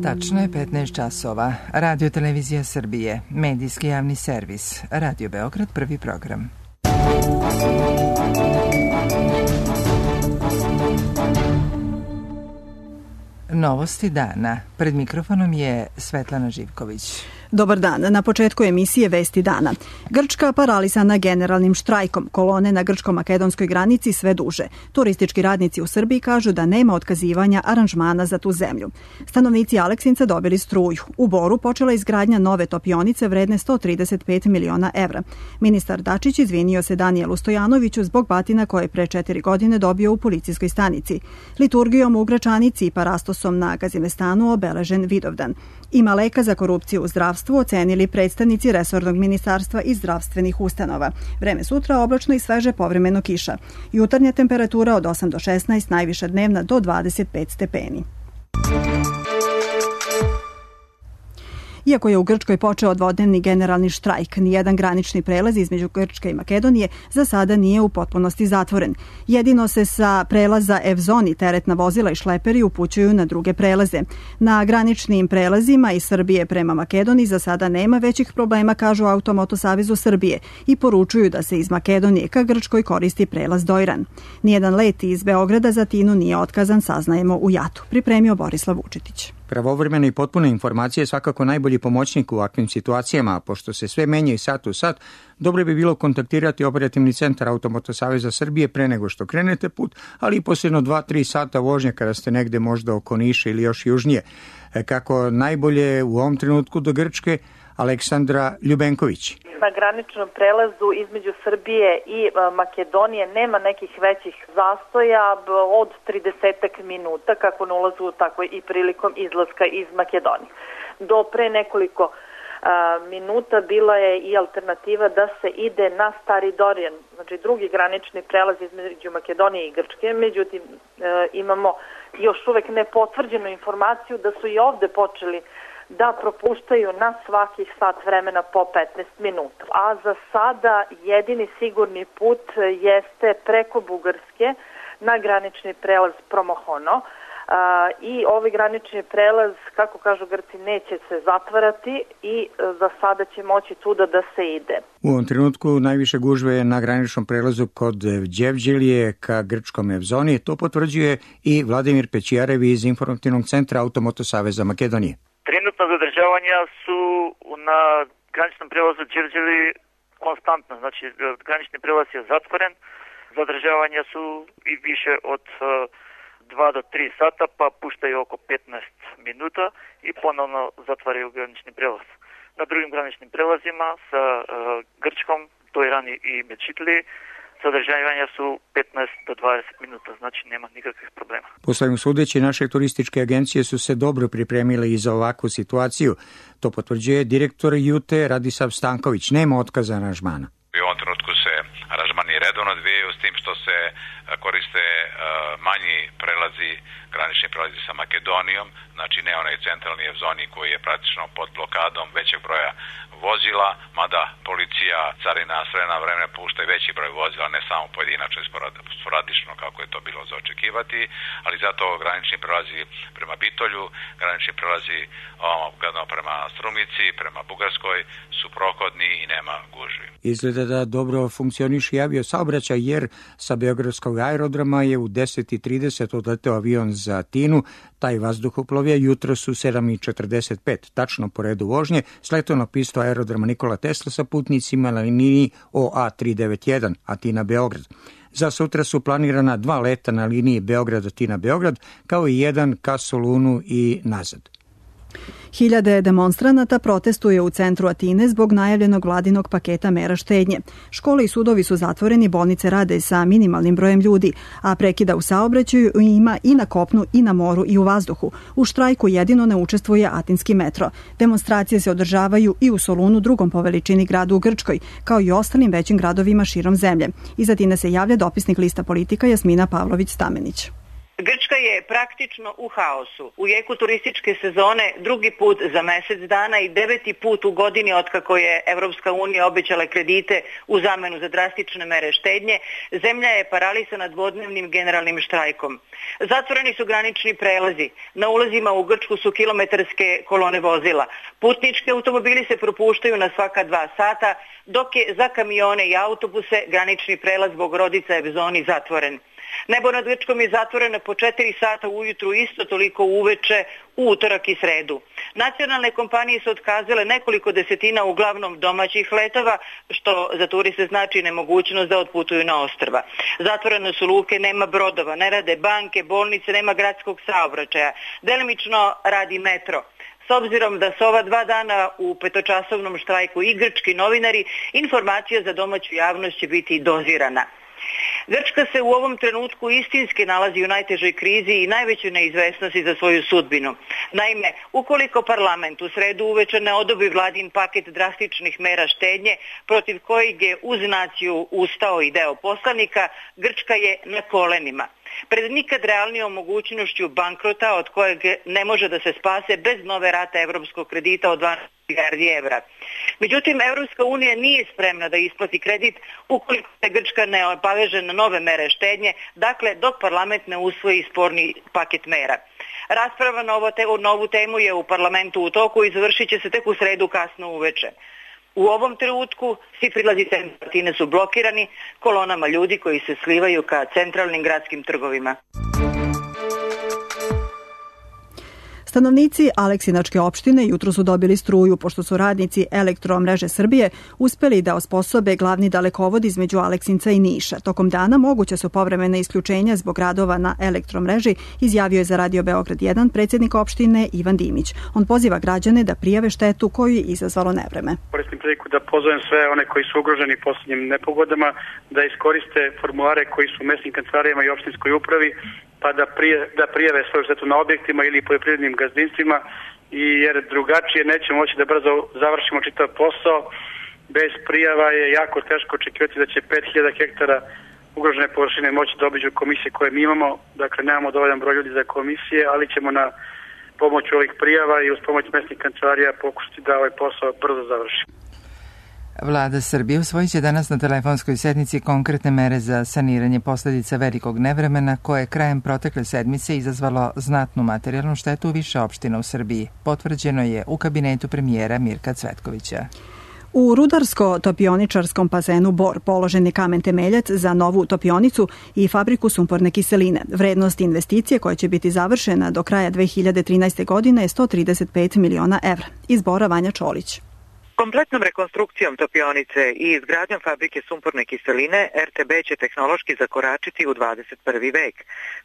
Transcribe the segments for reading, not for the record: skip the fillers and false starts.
Tačno je 15 časova. Radio Televizija Srbije, medijski javni servis, Radio Beograd, prvi program. Novosti dana. Pred mikrofonom je Svetlana Živković. Dobar dan. Na početku emisije Vesti dana. Grčka paralisana generalnim štrajkom. Kolone na grčko-makedonskoj granici sve duže. Turistički radnici u Srbiji kažu da nema otkazivanja aranžmana za tu zemlju. Stanovnici Aleksinca dobili struju. U Boru počela izgradnja nove topionice vredne 135 miliona evra. Ministar Dačić izvinio se Danijelu Stojanoviću zbog batina koje je pre 4 godine dobio u policijskoj stanici. Liturgijom u Gračanici i parastosom na Gazimestanu obeležen Vidovdan. Ima leka za korupciju u zdravstvu ocenili predstavnici resornog ministarstva i zdravstvenih ustanova. Vreme sutra oblačno i sveže, povremeno kiša. Jutarnja temperatura od 8 do 16, najviša dnevna do 25 stepeni. Iako je u Grčkoj počeo dvodnevni generalni štrajk, nijedan granični prelaz između Grčke i Makedonije za sada nije u potpunosti zatvoren. Jedino se sa prelaza Evzoni teretna vozila i šleperi upućuju na druge prelaze. Na graničnim prelazima iz Srbije prema Makedoniji za sada nema većih problema, kažu Automoto Savezu Srbije, i poručuju da se iz Makedonije ka Grčkoj koristi prelaz Dojran. Nijedan let iz Beograda za Atinu nije otkazan, saznajemo u JAT-u. Pripremio Borislav Vučetić. Pravovremene i potpune informacije je svakako najbolji pomoćnik u ovakvim situacijama, a pošto se sve menja i sat u sat, dobro bi bilo kontaktirati operativni centar Automoto Saveza Srbije pre nego što krenete put, ali i posljedno 2-3 sata vožnje kada ste negde možda oko Niša ili još južnije. Kako najbolje u ovom trenutku do Grčke, Aleksandra Ljubenković. Na graničnom prelazu između Srbije i Makedonije nema nekih većih zastoja od 30 minuta, kako na ulazu, tako i prilikom izlaska iz Makedonije. Do pre nekoliko minuta bila je i alternativa da se ide na Stari Dorijan, znači drugi granični prelaz između Makedonije i Grčke. Međutim, imamo još uvek nepotvrđenu informaciju da su i ovde počeli da propuštaju na svakih sat vremena po 15 minuta. A za sada jedini sigurni put jeste preko Bugarske na granični prelaz Promohono. I ovaj granični prelaz, kako kažu Grci, neće se zatvarati i za sada će moći tuda da se ide. U ovom trenutku najviše gužve je na graničnom prelazu kod Đevđelije ka grčkom Evzoni. To potvrđuje i Vladimir Pećijarevi iz Informativnog centra Automoto Saveza Makedonije. Trenutno zadržavanja su na graničnom prelazu Đevđeli konstantno, znači granični prelaz je zatvoren, zadržavanja su i više od 2 do 3 sata, pa puštaju oko 15 minuta i ponovno zatvaraju granični prelaz. Na drugim graničnim prelazima sa Grčkom, Dojran i Mečitli, zadržavanja su 15 do 20 minuta, znači nema nikakvih problema. Poslednjom sudeći, naše turističke agencije su se dobro pripremile i za ovakvu situaciju. To potvrđuje direktor Jute Radisav Stanković. Nema otkaza aranžmana. U ovom trenutku se aranžmani redovno odvijaju s tim što se koriste manji prelazi, granični prelazi sa Makedonijom, znači ne onaj centralni Evzoni koji je praktično pod blokadom većeg broja vozila, mada policija, carina sve na vreme pušta i veći broj vozila, ne samo pojedinačno i sporadično kako je to bilo za očekivati, ali zato granični prelazi prema Bitolju, granični prelazi prema Strumici, prema Bugarskoj su prohodni i nema gužvi. Izgleda da dobro funkcioniše i avio saobraćaj, jer sa Beogradskog aerodroma je u 10:30 odleteo avion za Atinu. Taj vazduhoplov je jutros u 7:45, tačno po redu vožnje, sletao na pistu aerodroma Nikola Tesla sa putnicima na liniji OA391 Atina-Beograd. Za sutra su planirana 2 leta na liniji Beograd-Atina-Beograd, kao i jedan ka Solunu i nazad. Hiljade demonstranata protestuje u centru Atine zbog najavljenog vladinog paketa mera štednje. Škole i sudovi su zatvoreni, bolnice rade sa minimalnim brojem ljudi, a prekida u saobraćaju ima i na kopnu i na moru i u vazduhu. U štrajku jedino ne učestvuje atinski metro. Demonstracije se održavaju i u Solunu, drugom po veličini gradu u Grčkoj, kao i ostalim većim gradovima širom zemlje. Iz Atine se javlja dopisnik lista Politika Jasmina Pavlović-Stamenić. Grčka je praktično u haosu. U jeku turističke sezone drugi put za mjesec dana i 9. put u godini otkako je Evropska unija obećala kredite u zamenu za drastične mere štednje, zemlja je paralisana dvodnevnim generalnim štrajkom. Zatvoreni su granični prelazi. Na ulazima u Grčku su kilometarske kolone vozila. Putnički automobili se propuštaju na svaka 2 sata, dok je za kamione i autobuse granični prelaz Bogorodica Evzoni zatvoren. Nebo nad Grčkom je zatvoreno po 4 sata ujutru, isto toliko uveče u utorak i sredu. Nacionalne kompanije su otkazale nekoliko desetina uglavnom domaćih letova, što za turiste znači nemogućnost da otputuju na ostrva. Zatvorene su luke, nema brodova, ne rade banke, bolnice, nema gradskog saobraćaja. Delimično radi metro. S obzirom da su ova 2 dana u 5-časovnom štrajku i grčki novinari, informacija za domaću javnost će biti dozirana. Grčka se u ovom trenutku istinski nalazi u najtežoj krizi i najvećoj neizvesnosti za svoju sudbinu. Naime, ukoliko parlament u sredu uveče ne odobri vladin paket drastičnih mera štednje, protiv kojeg je uz naciju ustao i deo poslanika, Grčka je na kolenima. Pred nikad realnijom mogućnošću bankrota od kojeg ne može da se spase bez nove rate evropskog kredita od 12 milijardi evra. Međutim, Evropska unija nije spremna da isplati kredit ukoliko se Grčka ne obaveže na nove mere štednje, dakle dok parlament ne usvoji sporni paket mera. Rasprava na ovu temu je u parlamentu u toku i završit će se tek u sredu kasno uveče. U ovom trenutku svi prilazi Atine su blokirani kolonama ljudi koji se slivaju ka centralnim gradskim trgovima. Stanovnici Aleksinačke opštine jutro su dobili struju pošto su radnici Elektromreže Srbije uspeli da osposobe glavni dalekovod između Aleksinca i Niša. Tokom dana moguća su povremena isključenja zbog radova na elektromreži, izjavio je za Radio Beograd 1 predsjednik opštine Ivan Dimić. On poziva građane da prijave štetu koju je izazvalo nevreme. Koristim priliku da pozovem sve one koji su ugroženi posljednjim nepogodama da iskoriste formulare koji su u mesnim kancelarijama i opštinskoj upravi, pa da prijave svoju štetu na objektima ili poljoprivrednim gazdinstvima, jer drugačije nećemo moći da brzo završimo čitav posao. Bez prijava je jako teško očekivati da će 5000 hektara ugrožene površine moći da obiđu komisije koje mi imamo. Dakle, nemamo dovoljan broj ljudi za komisije, ali ćemo na pomoć ovih prijava i uz pomoć mesnih kancelarija pokušati da ovaj posao brzo završi. Vlada Srbije usvojit će danas na telefonskoj sednici konkretne mere za saniranje posljedica velikog nevremena koje je krajem protekle sedmice izazvalo znatnu materijalnu štetu u više opština u Srbiji. Potvrđeno je u kabinetu premijera Mirka Cvetkovića. U rudarsko-topioničarskom bazenu Bor položen je kamen temeljac za novu topionicu i fabriku sumporne kiseline. Vrednost investicije koja će biti završena do kraja 2013. godine je 135 miliona evra. Iz Bora Vanja Čolić. Kompletnom rekonstrukcijom topionice i izgradnjom fabrike sumporne kiseline RTB će tehnološki zakoračiti u 21. vek.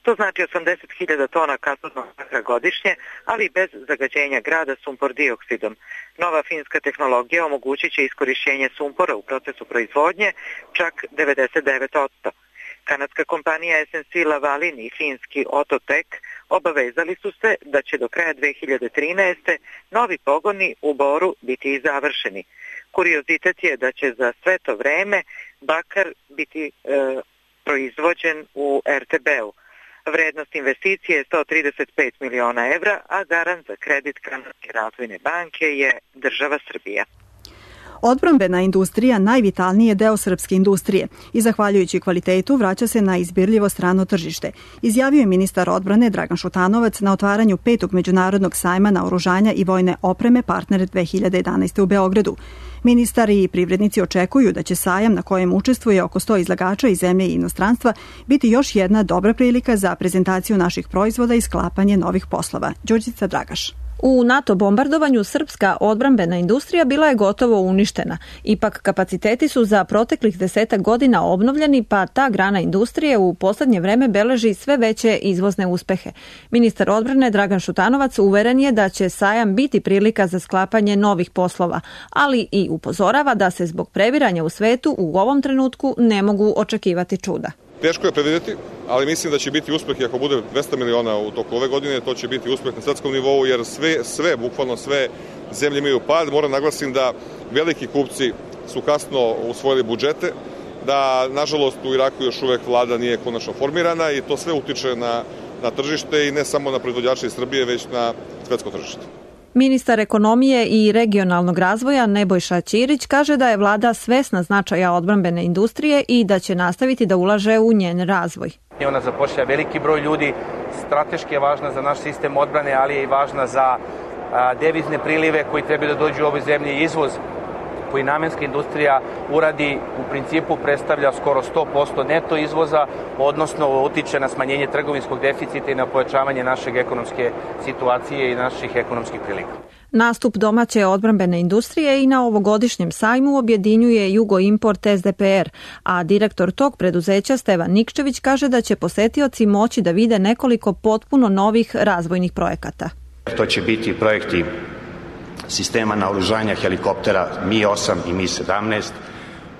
To znači 80.000 tona katodnog bakra godišnje, ali bez zagađenja grada sumpor dioksidom. Nova finska tehnologija omogućit će iskorišćenje sumpora u procesu proizvodnje čak 99%. Kanadska kompanija SNC Lavalin i finski Ototek obavezali su se da će do kraja 2013. novi pogoni u Boru biti završeni. Kuriozitet je da će za sve to vreme bakar biti proizvođen u RTB-u. Vrednost investicije je 135 miliona evra, a garant za kredit Kanadske razvojne banke je država Srbija. Odbrambena industrija najvitalniji je deo srpske industrije i zahvaljujući kvalitetu vraća se na izbirljivo strano tržište, izjavio je ministar odbrane Dragan Šutanovac na otvaranju 5. međunarodnog sajma naoružanja i vojne opreme Partner 2011. u Beogradu. Ministar i privrednici očekuju da će sajam na kojem učestvuje oko 100 izlagača iz zemlje i inostranstva biti još jedna dobra prilika za prezentaciju naših proizvoda i sklapanje novih poslova. Đurđica Dragaš. U NATO bombardovanju srpska odbrambena industrija bila je gotovo uništena. Ipak kapaciteti su za proteklih 10 godina obnovljeni, pa ta grana industrije u posljednje vreme beleži sve veće izvozne uspehe. Ministar odbrane Dragan Šutanovac uveren je da će sajam biti prilika za sklapanje novih poslova, ali i upozorava da se zbog previranja u svetu u ovom trenutku ne mogu očekivati čuda. Teško je predvidjeti, ali mislim da će biti uspeh i ako bude 200 miliona u toku ove godine, to će biti uspeh na svetskom nivou, jer bukvalno sve zemlje imaju pad. Moram naglasim da veliki kupci su kasno usvojili budžete, da nažalost u Iraku još uvek vlada nije konačno formirana i to sve utiče na na tržište i ne samo na proizvođače iz Srbije, već na svetsko tržište. Ministar ekonomije i regionalnog razvoja Nebojša Ćirić kaže da je vlada svesna značaja odbrambene industrije i da će nastaviti da ulaže u njen razvoj. Ona zapošlja veliki broj ljudi, strateški je važna za naš sistem odbrane, ali je i važna za devizne prilive koji treba da dođu u ovoj zemlji, izvoz koji namenska industrija uradi u principu predstavlja skoro 100% neto izvoza, odnosno utiče na smanjenje trgovinskog deficita i na pojačavanje naše ekonomske situacije i naših ekonomskih prilika. Nastup domaće odbrambene industrije i na ovogodišnjem sajmu objedinjuje Jugo Import SDPR, a direktor tog preduzeća Stevan Nikčević kaže da će posetioci moći da vide nekoliko potpuno novih razvojnih projekata. To će biti projekti sistema naoružanja helikoptera Mi-8 i Mi-17,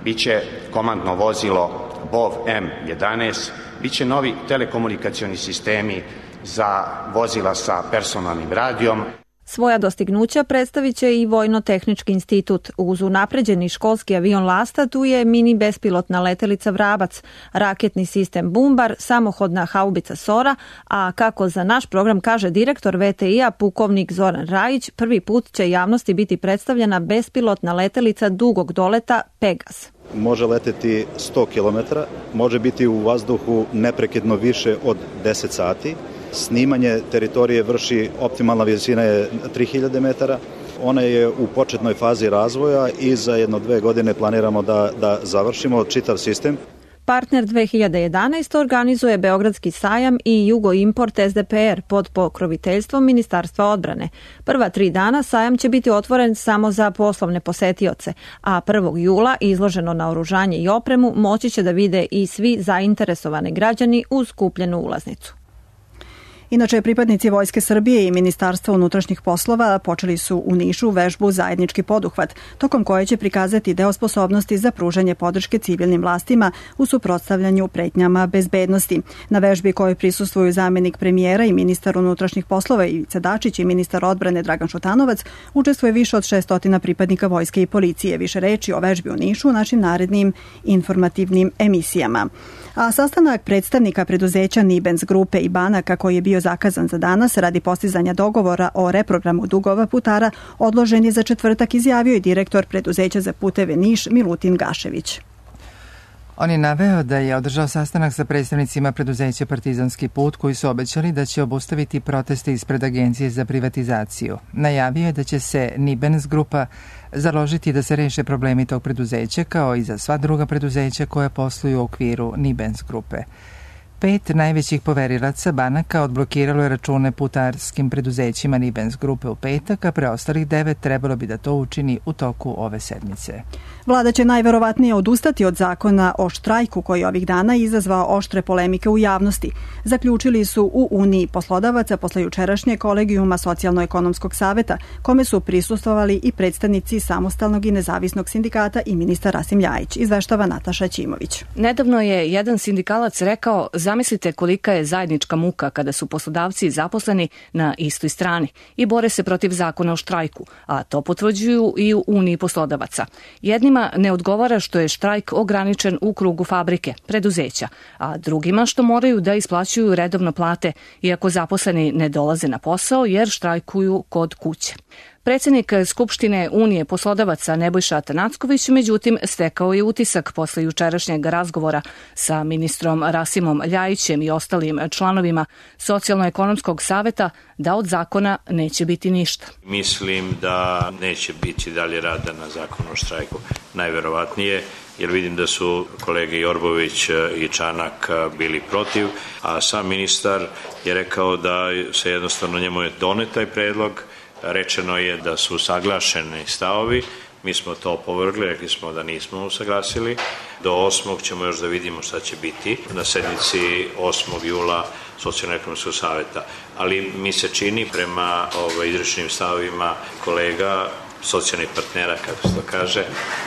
biće komandno vozilo BOV M11, biće novi telekomunikacioni sistemi za vozila sa personalnim radijom. Svoja dostignuća predstavit će i Vojno-tehnički institut. Uz unapređeni školski avion Lasta tu je mini bespilotna letelica Vrabac, raketni sistem Bumbar, samohodna haubica Sora, a kako za naš program kaže direktor VTI-a pukovnik Zoran Rajić, prvi put će javnosti biti predstavljena bespilotna letelica dugog doleta Pegas. Može leteti 100 km, može biti u vazduhu neprekidno više od 10 sati. Snimanje teritorije vrši, optimalna visina je 3000 metara. Ona je u početnoj fazi razvoja i za 1-2 godine planiramo da završimo čitav sistem. Partner 2011 organizuje Beogradski sajam i Jugo Import SDPR pod pokroviteljstvom Ministarstva odbrane. Prva 3 dana sajam će biti otvoren samo za poslovne posetioce, a 1. jula izloženo naoružanje i opremu moći će da vide i svi zainteresovani građani uz kupljenu ulaznicu. Inače, pripadnici Vojske Srbije i Ministarstva unutrašnjih poslova počeli su u Nišu vežbu Zajednički poduhvat, tokom koje će prikazati deo sposobnosti za pružanje podrške civilnim vlastima u suprotstavljanju pretnjama bezbednosti. Na vežbi kojoj prisustvuju zamjenik premijera i ministar unutrašnjih poslova Ivica Dačić i ministar odbrane Dragan Šutanovac, učestvuje više od 600 pripadnika vojske i policije. Više reči o vežbi u Nišu u našim narednim informativnim emisijama. A sastanak predstavnika preduzeća Nibens grupe i banaka koji je bio zakazan za danas radi postizanja dogovora o reprogramu dugova putara odložen je za četvrtak, izjavio i direktor preduzeća za puteve Niš Milutin Gašević. On je naveo da je održao sastanak sa predstavnicima preduzeća Partizanski put koji su obećali da će obustaviti proteste ispred Agencije za privatizaciju. Najavio je da će se Nibens grupa založiti da se reše problemi tog preduzeća kao i za sva druga preduzeća koja posluju u okviru Nibens grupe. 5 najvećih poverilaca banaka odblokiralo je račune putarskim preduzećima Nibens grupe u petak, a preostalih 9 trebalo bi da to učini u toku ove sedmice. Vlada će najverovatnije odustati od zakona o štrajku koji ovih dana izazvao oštre polemike u javnosti. Zaključili su u Uniji poslodavaca posle jučerašnje kolegijuma Socijalno-ekonomskog saveta, kome su prisustvovali i predstavnici samostalnog i nezavisnog sindikata i ministar Rasim Ljajić, izveštava Nataša Ćimović. Nedavno je jedan sindikalac rekao: zamislite kolika je zajednička muka kada su poslodavci zaposleni na istoj strani i bore se protiv zakona o štrajku, a to potvrđuju i u Uniji poslodavaca. Jednima ne odgovara što je štrajk ograničen u krugu fabrike, preduzeća, a drugima što moraju da isplaćuju redovno plate, iako zaposleni ne dolaze na posao jer štrajkuju kod kuće. Predsjednik Skupštine Unije poslodavaca Nebojša Atanacković, međutim, stekao je utisak posle jučerašnjeg razgovora sa ministrom Rasimom Ljajićem i ostalim članovima Socijalno-ekonomskog saveta da od zakona neće biti ništa. Mislim da neće biti dalje rada na zakonu o štrajku, najverovatnije, jer vidim da su kolege Jorbović i Čanak bili protiv, a sam ministar je rekao da se jednostavno njemu je donet taj predlog. Rečeno je da su usaglašeni stavovi, mi smo to opovrgli, rekli smo da nismo usaglasili. Do 8. ćemo još da vidimo šta će biti na sednici 8. jula Socijalno-ekonomskog saveta. Ali mi se čini prema izrečenim stavovima kolega, socijalnih partnera, kako se to kaže,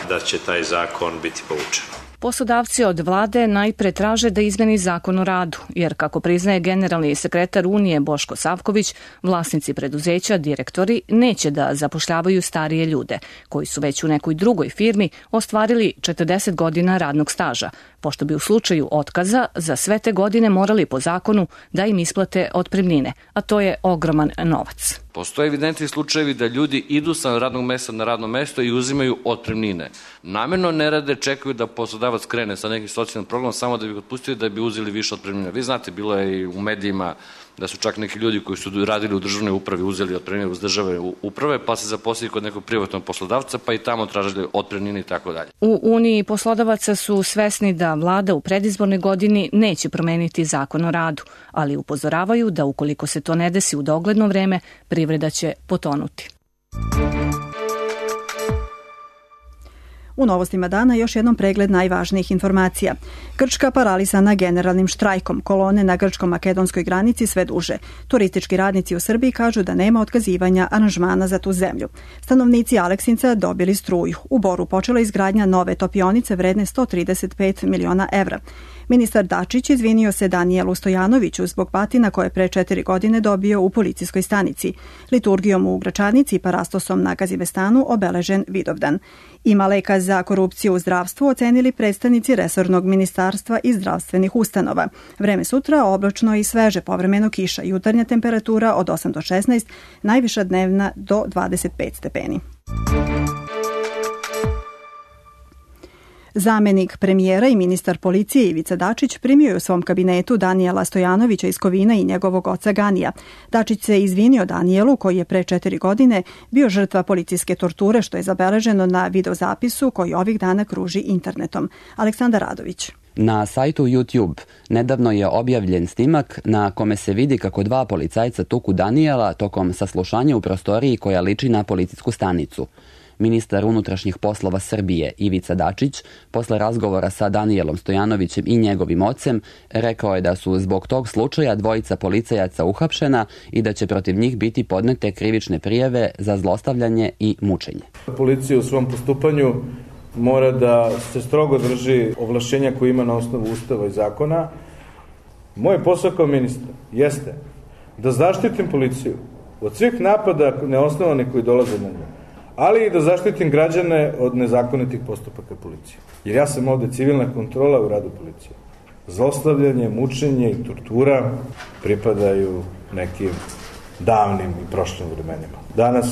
da će taj zakon biti povučen. Poslodavci od vlade najpre traže da izmeni zakon o radu, jer kako priznaje generalni sekretar Unije Boško Savković, vlasnici preduzeća, direktori, neće da zapošljavaju starije ljude, koji su već u nekoj drugoj firmi ostvarili 40 godina radnog staža, pošto bi u slučaju otkaza za sve te godine morali po zakonu da im isplate otpremnine, a to je ogroman novac. Postoje evidentni slučajevi da ljudi idu sa radnog mesta na radno mesto i uzimaju otpremnine. Namerno ne rade, čekaju da poslodavac krene sa nekim socijalnim programom samo da bi otpustili, da bi uzeli više otpremnina. Vi znate, bilo je i u medijima da su čak neki ljudi koji su radili u državnoj upravi uzeli otpremnine uz države uprave, pa se zaposlili kod nekog privatnog poslodavca, pa i tamo tražili otpremnine i tako dalje. U Uniji poslodavaca su svesni da vlada u predizbornoj godini neće promeniti zakon o radu, ali upozoravaju da ukoliko se to ne desi u dogledno vreme, privreda će potonuti. U novostima dana još jednom pregled najvažnijih informacija. Grčka paralisana generalnim štrajkom, kolone na grčko-makedonskoj granici sve duže. Turistički radnici u Srbiji kažu da nema otkazivanja aranžmana za tu zemlju. Stanovnici Aleksinca dobili struju. U Boru počela izgradnja nove topionice vredne 135 miliona evra. Ministar Dačić izvinio se Danijelu Stojanoviću zbog batina koje pre 4 godine dobio u policijskoj stanici. Liturgijom u Gračanici i parastosom na Gazivestanu obeležen Vidovdan. Ima leka za korupciju u zdravstvu ocenili predstavnici resornog ministarstva i zdravstvenih ustanova. Vreme sutra oblačno i sveže, povremeno kiša, jutarnja temperatura od 8 do 16, najviša dnevna do 25 stepeni. Zamenik premijera i ministar policije Ivica Dačić primio je u svom kabinetu Danijela Stojanovića iz Kovina i njegovog oca Ganija. Dačić se izvinio Danijelu, koji je pre 4 godine bio žrtva policijske torture, što je zabeleženo na videozapisu koji ovih dana kruži internetom. Aleksandar Radović. Na sajtu YouTube nedavno je objavljen snimak na kome se vidi kako 2 policajca tuku Danijela tokom saslušanja u prostoriji koja liči na policijsku stanicu. Ministar unutrašnjih poslova Srbije Ivica Dačić, posle razgovora sa Danijelom Stojanovićem i njegovim ocem, rekao je da su zbog tog slučaja 2 policajaca uhapšena i da će protiv njih biti podnete krivične prijave za zlostavljanje i mučenje. Policija u svom postupanju mora da se strogo drži ovlašćenja koje ima na osnovu Ustava i zakona. Moj posao kao ministar jeste da zaštitim policiju od svih napada neosnovanih koji dolaze na nju, ali i da zaštitim građane od nezakonitih postupaka policije. Jer ja sam ovde civilna kontrola u radu policije. Zlostavljanje, mučenje i tortura pripadaju nekim davnim i prošlim vremenima. Danas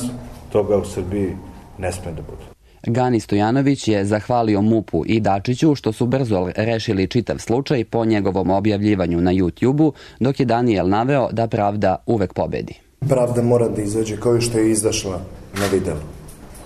toga u Srbiji ne sme da bude. Gani Stojanović je zahvalio MUP-u i Dačiću što su brzo rešili čitav slučaj po njegovom objavljivanju na YouTube-u, dok je Danijel naveo da pravda uvek pobedi. Pravda mora da izađe kao što je izašla na videu.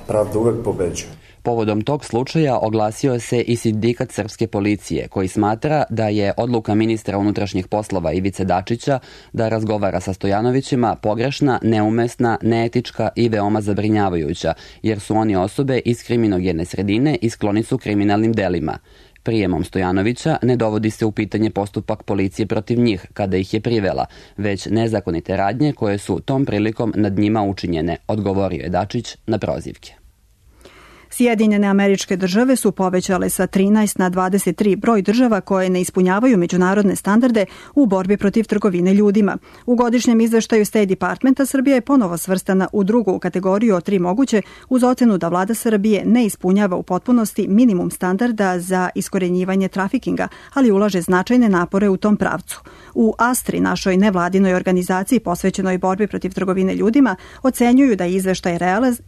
Pravda uvek pobeđuje. Povodom tog slučaja oglasio se i sindikat srpske policije, koji smatra da je odluka ministra unutrašnjih poslova Ivice Dačića da razgovara sa Stojanovićima pogrešna, neumesna, neetička i veoma zabrinjavajuća, jer su oni osobe iz kriminogene sredine i skloni su kriminalnim delima. Prijemom Stojanovića ne dovodi se u pitanje postupak policije protiv njih kada ih je privela, već nezakonite radnje koje su tom prilikom nad njima učinjene, odgovorio je Dačić na prozivke. Sjedinjene Američke Države su povećale sa 13 na 23 broj država koje ne ispunjavaju međunarodne standarde u borbi protiv trgovine ljudima. U godišnjem izveštaju State Departmenta Srbija je ponovo svrstana u drugu kategoriju od 3 moguće, uz ocenu da vlada Srbije ne ispunjava u potpunosti minimum standarda za iskorenjivanje trafikinga, ali ulaže značajne napore u tom pravcu. U ASTRI, našoj nevladinoj organizaciji posvećenoj borbi protiv trgovine ljudima, ocenjuju da je izveštaj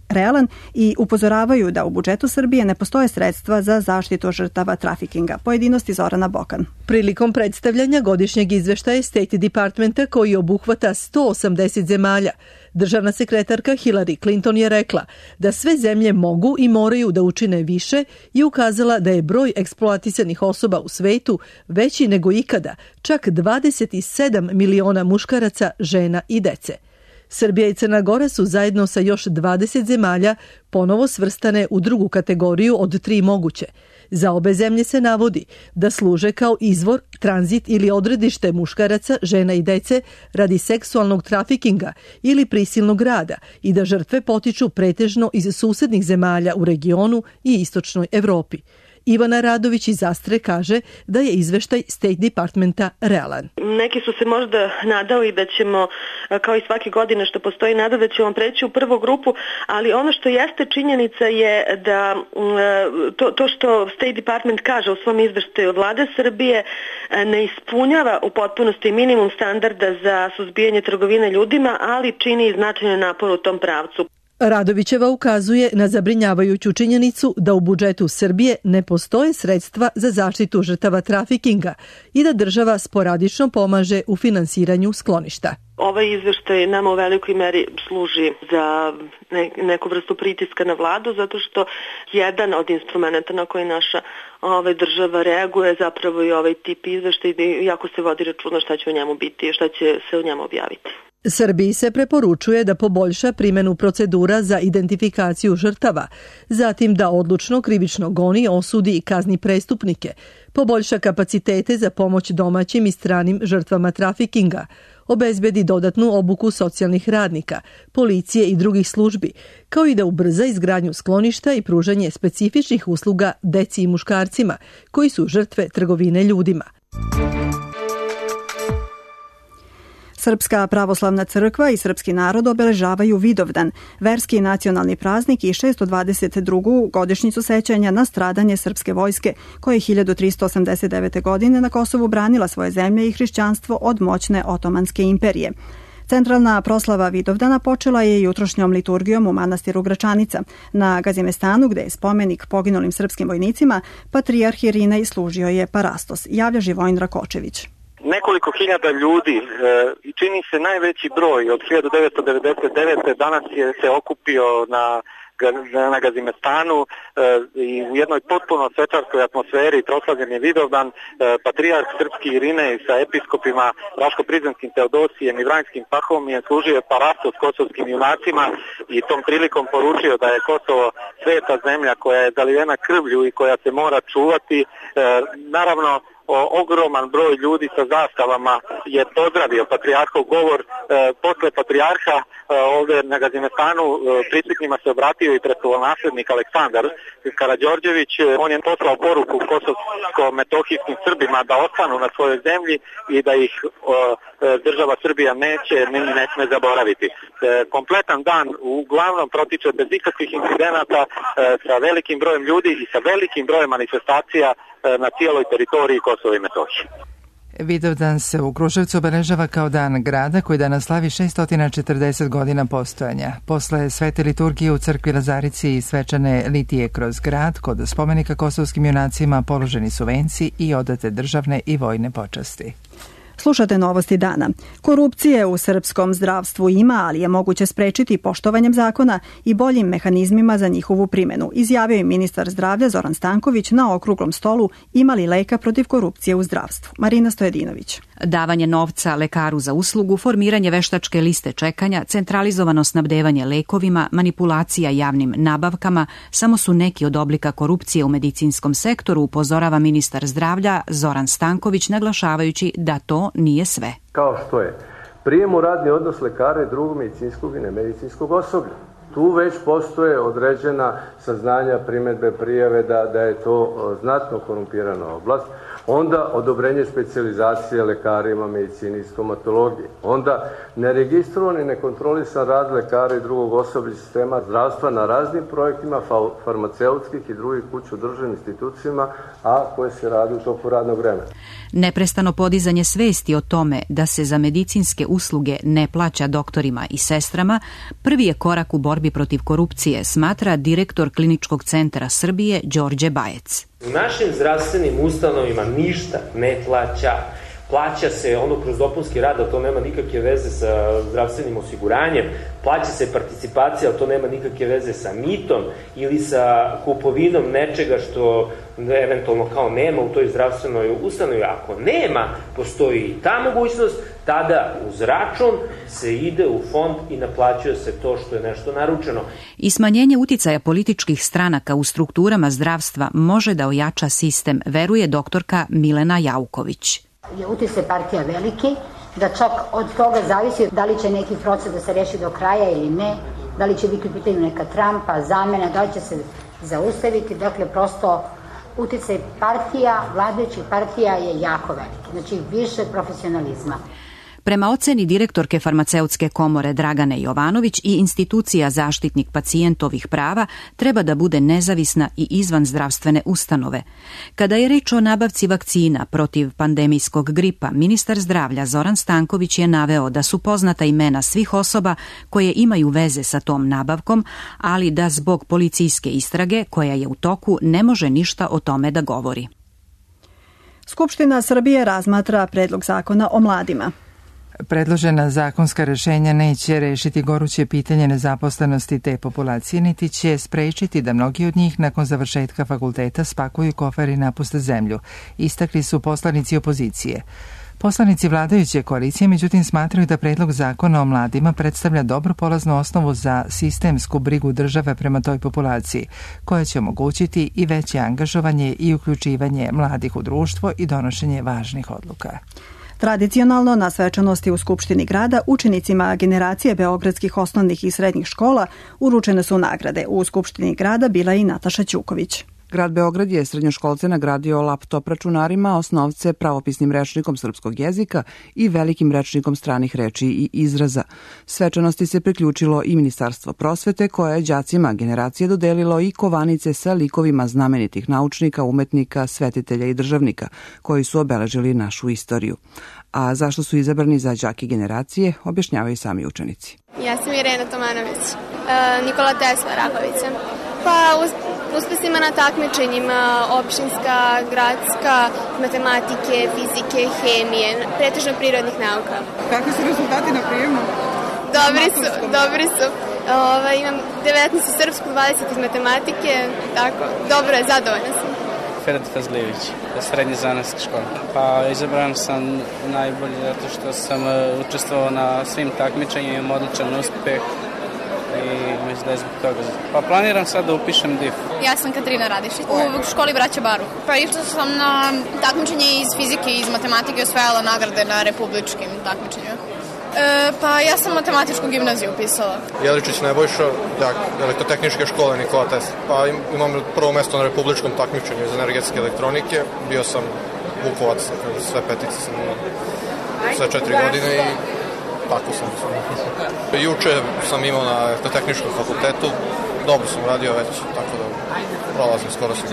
realan i upozoravaju da u budžetu Srbije ne postoje sredstva za zaštitu žrtava trafikinga. Pojedinosti Zorana Bokan. Prilikom predstavljanja godišnjeg izveštaja State Departmenta koji obuhvata 180 zemalja, državna sekretarka Hillary Clinton je rekla da sve zemlje mogu i moraju da učine više i ukazala da je broj eksploatisanih osoba u svetu veći nego ikada, čak 27 miliona muškaraca, žena i dece. Srbija i Crna Gora su zajedno sa još 20 zemalja ponovo svrstane u drugu kategoriju od 3 moguće. Za obe zemlje se navodi da služe kao izvor, tranzit ili odredište muškaraca, žena i dece radi seksualnog trafikinga ili prisilnog rada i da žrtve potiču pretežno iz susednih zemalja u regionu i istočnoj Evropi. Ivana Radović iz Astre kaže da je izveštaj State Departmenta realan. Neki su se možda nadali da ćemo, kao i svake godine što postoji nada, da ćemo preći u prvu grupu, ali ono što jeste činjenica je da to što State Department kaže u svom izveštaju, vlada Srbije ne ispunjava u potpunosti minimum standarda za suzbijanje trgovine ljudima, ali čini i značajan napor u tom pravcu. Radovićeva ukazuje na zabrinjavajuću činjenicu da u budžetu Srbije ne postoje sredstva za zaštitu žrtava trafikinga i da država sporadično pomaže u finansiranju skloništa. Ovaj izveštaj nama u velikoj meri služi za neku vrstu pritiska na vladu, zato što jedan od instrumenta na koji naša država reaguje zapravo i ovaj tip izveštaj, jako se vodi računa šta će u njemu biti i šta će se u njemu objaviti. Srbiji se preporučuje da poboljša primjenu procedura za identifikaciju žrtava, zatim da odlučno krivično goni, osudi i kazni prestupnike, poboljša kapacitete za pomoć domaćim i stranim žrtvama trafikinga, obezbedi dodatnu obuku socijalnih radnika, policije i drugih službi, kao i da ubrza izgradnju skloništa i pružanje specifičnih usluga deci i muškarcima koji su žrtve trgovine ljudima. Srpska pravoslavna crkva i srpski narod obeležavaju Vidovdan, verski i nacionalni praznik i 622. godišnjicu sećanja na stradanje srpske vojske, koja je 1389. godine na Kosovu branila svoje zemlje i hrišćanstvo od moćne Otomanske imperije. Centralna proslava Vidovdana počela je jutrošnjom liturgijom u manastiru Gračanica. Na Gazimestanu, gde je spomenik poginulim srpskim vojnicima, patrijarh Irinej služio je parastos, javlja Živojin Rakočević. Nekoliko hiljada ljudi i čini se najveći broj od 1999. danas se okupio na Gazimestanu i u jednoj potpuno svečarskoj atmosferi proslavljen je Vidovdan. Patrijarh srpski Irinej sa episkopima Raško-Prizrenskim Teodosijem i Vranjskim Pahomijem služio je parastos kosovskim junacima i tom prilikom poručio da je Kosovo sveta zemlja koja je zalivena krvlju i koja se mora čuvati. Naravno, ogroman broj ljudi sa zastavama je pozdravio patrijarhov govor. Posle patrijarha ovdje na Gazimestanu prisutnima se obratio i prestolonaslednik Aleksandar Karađorđević. On je poslao poruku kosovsko-metohijskim Srbima da ostanu na svojoj zemlji i da ih država Srbija ne sme zaboraviti. Kompletan dan uglavnom protiče bez ikakvih incidenata, sa velikim brojem ljudi i sa velikim brojem manifestacija na cijeloj teritoriji Kosova i Metohije. Vidovdan se u Kruševcu obeležava kao dan grada koji danas slavi 640 godina postojanja. Posle svete liturgije u crkvi Lazarici i svečane litije kroz grad, kod spomenika kosovskim junacima položeni su venci i odate državne i vojne počasti. Slušate novosti dana. Korupcije u srpskom zdravstvu ima, ali je moguće sprečiti poštovanjem zakona i boljim mehanizmima za njihovu primjenu, izjavio je ministar zdravlja Zoran Stanković na okruglom stolu Ima li leka protiv korupcije u zdravstvu. Marina Stojedinović. Davanje novca lekaru za uslugu, formiranje veštačke liste čekanja, centralizovano snabdevanje lekovima, manipulacija javnim nabavkama samo su neki od oblika korupcije u medicinskom sektoru, upozorava ministar zdravlja Zoran Stanković, naglašavajući da to nije sve. Kao što je prijem u radni odnos lekara i drugog medicinskog i nemedicinskog osoblja. Tu već postoje određena saznanja, primjedbe, prijave da je to znatno korumpirana oblast. Onda odobrenje specijalizacije lekarima, medicini i stomatologiji. Onda neregistrovani, nekontrolisan rad lekara i drugog osoblja sistema zdravstva na raznim projektima farmaceutskih i drugih kuća u državnim institucijama, a koje se radi u toku radnog vremena. Neprestano podizanje svesti o tome da se za medicinske usluge ne plaća doktorima i sestrama prvi je korak u borbi protiv korupcije, smatra direktor Kliničkog centra Srbije Đorđe Bajec. U našim zdravstvenim ustanovima ništa ne plaća. Plaća se ono kroz dopunski rad, ali to nema nikakve veze sa zdravstvenim osiguranjem. Plaća se participacija, ali to nema nikakve veze sa mitom ili sa kupovinom nečega što eventualno kao nema u toj zdravstvenoj ustanovi. Ako nema, postoji i ta mogućnost, tada uz račun se ide u fond i naplaćuje se to što je nešto naručeno. I smanjenje uticaja političkih stranaka u strukturama zdravstva može da ojača sistem, veruje doktorka Milena Jauković. Je uticaj partija veliki, da čak od toga zavisi da li će neki proces da se reši do kraja ili ne, da li će biti u pitanju neka Trumpa, zamena, da li će se zaustaviti, dakle prosto uticaj partija, vladajućih partija je jako veliki. Znači više profesionalizma. Prema oceni direktorke farmaceutske komore Dragane Jovanović i institucija Zaštitnik pacijentovih prava treba da bude nezavisna i izvan zdravstvene ustanove. Kada je reč o nabavci vakcina protiv pandemijskog gripa, ministar zdravlja Zoran Stanković je naveo da su poznata imena svih osoba koje imaju veze sa tom nabavkom, ali da zbog policijske istrage koja je u toku ne može ništa o tome da govori. Skupština Srbije razmatra predlog zakona o mladima. Predložena zakonska rešenja neće rešiti goruće pitanje nezaposlenosti te populacije, niti će sprečiti da mnogi od njih nakon završetka fakulteta spakuju kofer i napuste zemlju, istakli su poslanici opozicije. Poslanici vladajuće koalicije, međutim, smatraju da predlog zakona o mladima predstavlja dobru polaznu osnovu za sistemsku brigu države prema toj populaciji, koja će omogućiti i veće angažovanje i uključivanje mladih u društvo i donošenje važnih odluka. Tradicionalno na svečanosti u Skupštini grada učenicima generacije beogradskih osnovnih i srednjih škola uručene su nagrade. U Skupštini grada bila i Nataša Ćuković. Grad Beograd je srednjoškolce nagradio laptop računarima, osnovce pravopisnim rečnikom srpskog jezika i velikim rečnikom stranih reči i izraza. Svečanosti se priključilo i Ministarstvo prosvete, koje je đacima generacije dodelilo i kovanice sa likovima znamenitih naučnika, umetnika, svetitelja i državnika, koji su obeležili našu istoriju. A zašto su izabrani za đake generacije, objašnjavaju sami učenici. Ja sam Irena Tomanović, Nikola Tesla Rakovića. Pa uspesima na takmičenjima opštinska, gradska, matematike, fizike, hemije, pretežno prirodnih nauka. Kakvi su rezultati na prijemu? Dobri su. Imam 19 iz srpsku, 20 iz matematike, tako, dobro je, zadovoljna sam. Ferad Fazlijević, srednje zanatska škola. Pa izabran sam najbolje zato što sam učestvovao na svim takmičenjima, odličan uspeh. I mislim da je zbog toga. Pa planiram sad da upišem DIF. Ja sam Katarina Radišić u školi Braća Baruh. Pa išla sam na takmičenje iz fizike i iz matematike, osvajala nagrade na republičkim takmičenjima. Pa ja sam matematičku gimnaziju upisala. Jeličić Nebojša, elektrotehničke škole Nikola Tesla. Pa imam prvo mesto na republičkom takmičenju iz energetske elektronike. Bio sam Vukovac, sve petice sam imao sve 4 godine i tako sam. Juče sam imao na elektrotehničkom fakultetu, dobro sam radio već, tako da prolazim skoro sam.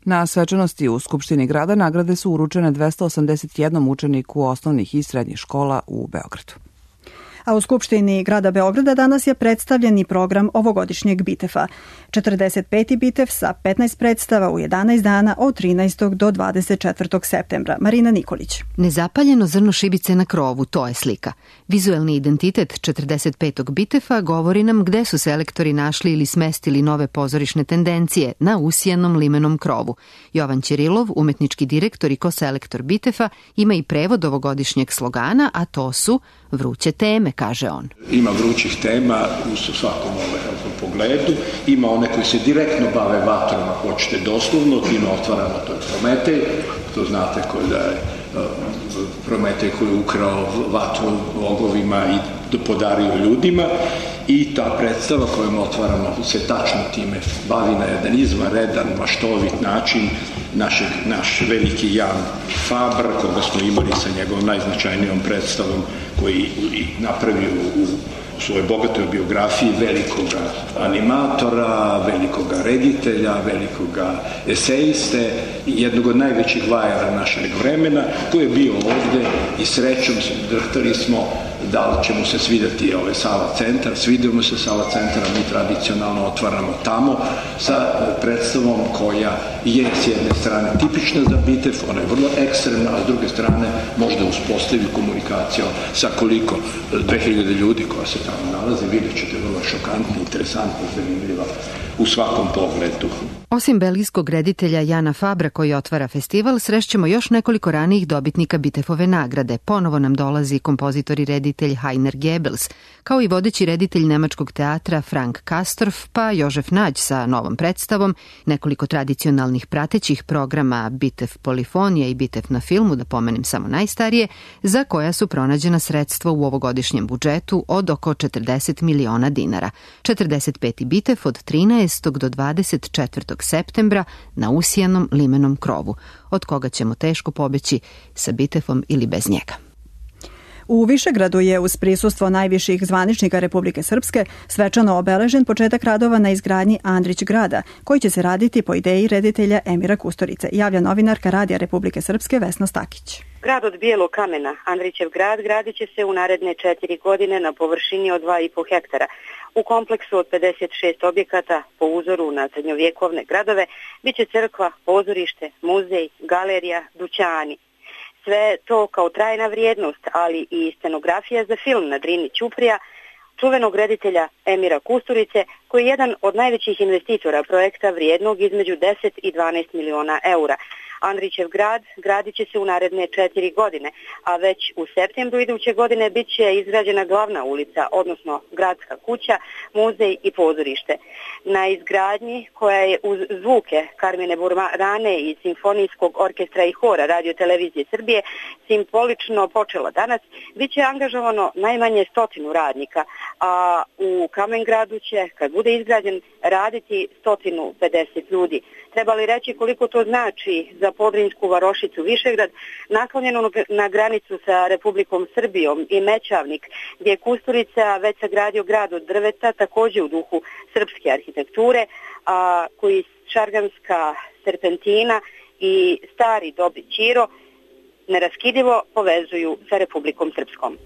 Na svečanosti u Skupštini grada nagrade su uručene 281 učeniku osnovnih i srednjih škola u Beogradu. A u Skupštini grada Beograda danas je predstavljen i program ovogodišnjeg Bitefa. 45. Bitev sa 15 predstava u 11 dana od 13. do 24. septembra. Marina Nikolić. Nezapaljeno zrno šibice na krovu, to je slika. Vizuelni identitet 45. Bitefa govori nam gde su selektori našli ili smestili nove pozorišne tendencije na usijanom limenom krovu. Jovan Ćirilov, umetnički direktor i koselektor Bitefa, ima i prevod ovogodišnjeg slogana, a to su vruće teme, kaže on. Ima vrućih tema u svakom pogledu, ima one koji se direktno bave vatrom, ako hoćete doslovno, time otvaramo, to je Prometej, to znate da je Prometej koji je ukrao vatru bogovima i podario ljudima, i ta predstava kojom otvaramo se tačno time bavi na jedan izvanredan, maštovit način. Naš veliki Jan Fabr, koga smo imali sa njegovom najznačajnijom predstavom, koji napravio u svojoj bogatoj biografiji velikoga animatora, velikoga reditelja, velikoga esejiste, jednog od najvećih vajara našeg vremena, koji je bio ovde i srećom drhtali smo da li će mu se svidjeti Sava centar. Svidio mu se Sava centar, mi tradicionalno otvaramo tamo sa predstavom koja je s jedne strane tipična za Bitev, ona je vrlo ekstremna, a s druge strane možda uspostavi komunikaciju sa koliko 2000 ljudi koja se tamo nalazi, vidjet ćete vrlo šokantno, interesantno, zanimljiva u svakom pogledu. Osim belgijskog reditelja Jana Fabra koji otvara festival, srešćemo još nekoliko ranijih dobitnika Bitefove nagrade. Ponovo nam dolazi kompozitor i reditelj reditelj Heiner Goebbels, kao i vodeći reditelj nemačkog teatra Frank Kastorf, pa Jožef Nađ sa novom predstavom, nekoliko tradicionalnih pratećih programa Bitev polifonija i Bitev na filmu, da pomenem samo najstarije, za koja su pronađena sredstva u ovogodišnjem budžetu od oko 40 miliona dinara. 45. Bitev od 13. do 24. septembra na usijanom limenom krovu, od koga ćemo teško pobeći sa Bitefom ili bez njega. U Višegradu je uz prisustvo najviših zvaničnika Republike Srpske svečano obeležen početak radova na izgradnji Andrić grada, koji će se raditi po ideji reditelja Emira Kusturice, javlja novinarka Radija Republike Srpske Vesna Stakić. Grad od bijelog kamena, Andrićev grad, gradit će se u naredne 4 godine na površini od 2,5 hektara. U kompleksu od 56 objekata po uzoru na srednjovjekovne gradove biće crkva, pozorište, muzej, galerija, dućani. Sve to kao trajna vrijednost, ali i scenografija za film na Drini Ćuprija, čuvenog reditelja Emira Kusturice, koji je jedan od najvećih investitora projekta vrijednog između 10 i 12 miliona eura. Andrićev grad gradit će se u naredne 4 godine, a već u septembru iduće godine bit će izgrađena glavna ulica, odnosno gradska kuća, muzej i pozorište. Na izgradnji, koja je uz zvuke Karmine Burmane i Simfonijskog orkestra i hora Radio Televizije Srbije simbolično počela danas, bit će angažovano najmanje 100 radnika, a u Kamengradu će, kad bude izgrađen, raditi 150 ljudi. Treba li reći koliko to znači za Podrinjsku varošicu Višegrad, naklonjenu na granicu sa Republikom Srbijom, i Mećavnik, gdje je Kusturica već sagradio grad od drveta, također u duhu srpske arhitekture, a koji šarganska serpentina i stari Dobi Ćiro neraskidivo povezuju sa Republikom Srpskom.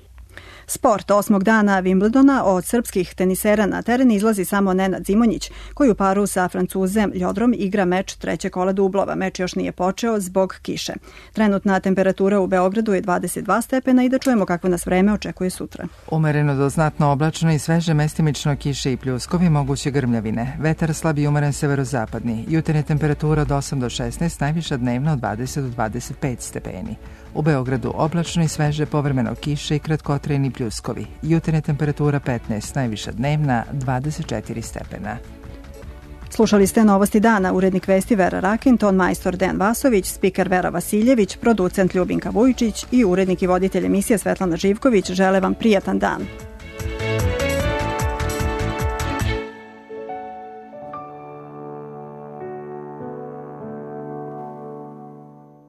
Sport 8. dana Wimbledona od srpskih tenisera na teren izlazi samo Nenad Zimonjić, koji u paru sa Francuzem Ljodrom igra meč treće kola dublova. Meč još nije počeo zbog kiše. Trenutna temperatura u Beogradu je 22 stepena i da čujemo kakvo nas vreme očekuje sutra. Umereno do znatno oblačno i sveže, mestimično kiše i pljuskovi, moguće grmljavine. Vetar slab i umeren severozapadni. Jutarnja temperatura od 8 do 16, najviša dnevna od 20 do 25 stepeni. U Beogradu oblačno i sveže, povremeno kiše i kratkotrajni pljuskovi. Jutarnja temperatura 15, najviša dnevna 24 stepena. Slušali ste Novosti dana, urednik vesti Vera Rakin, ton majstor Dejan Vasović, spiker Vera Vasiljević, producent Ljubinka Vujčić i urednik i voditelj emisije Svetlana Živković. Žele vam prijatan dan.